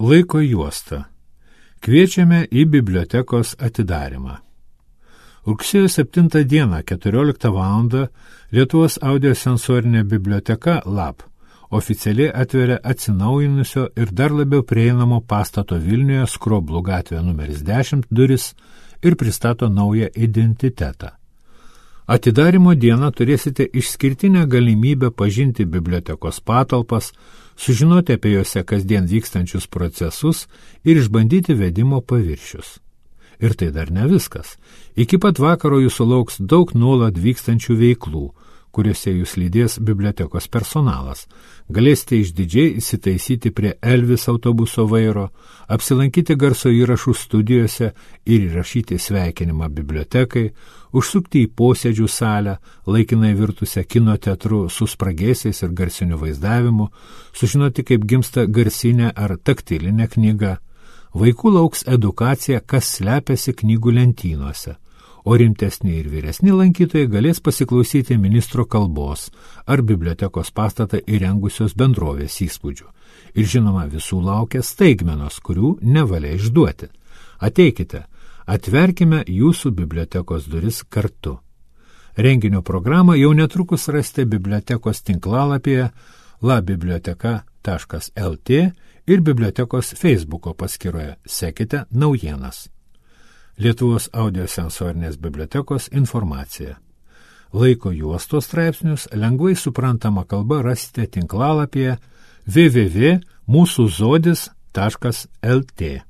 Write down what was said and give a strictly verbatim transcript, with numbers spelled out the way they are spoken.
Laiko juosta. Kviečiame į bibliotekos atidarymą. Rugsėjo septintą dieną, keturioliktą valandą, Lietuvos audiosensorinė biblioteka Lab oficialiai atveria atsinaujinusio ir dar labiau prieinamo pastato Vilniuje Skroblų gatvė numeris dešimt duris ir pristato naują identitetą. Atidarymo dieną turėsite išskirtinę galimybę pažinti bibliotekos patalpas, sužinoti apie juose kasdien vykstančius procesus ir išbandyti vedimo paviršius. Ir tai dar ne viskas. Iki pat vakaro jūsų lauks daug nuolat vykstančių veiklų, kuriuose jūs lydės bibliotekos personalas. Galėsite išdidžiai įsitaisyti prie Elvis autobuso vairo, apsilankyti garso įrašų studijose ir įrašyti sveikinimą bibliotekai, užsukti į posėdžių salę, laikinai virtusią kino teatru su spragėsiais ir garsiniu vaizdavimu, sužinoti, kaip gimsta garsinė ar taktilinė knyga. Vaikų lauks edukacija, kas slepiasi knygų lentynose, o rimtesni ir vyresni lankytojai galės pasiklausyti ministro kalbos ar bibliotekos pastatą įrengusios bendrovės įspūdžių. Ir žinoma, visų laukia staigmenos, kurių nevalia išduoti. Ateikite, atverkime jūsų bibliotekos duris kartu. Renginio programą jau netrukus rasite bibliotekos tinklalapyje labiblioteka taškas lt ir bibliotekos Facebooko paskyroje. Sekite naujienas. Lietuvos audiosensorinės bibliotekos informacija. Laiko juostos straipsnius lengvai suprantama kalba rasite tinklalapyje w w w taškas mūsų zodis taškas lt.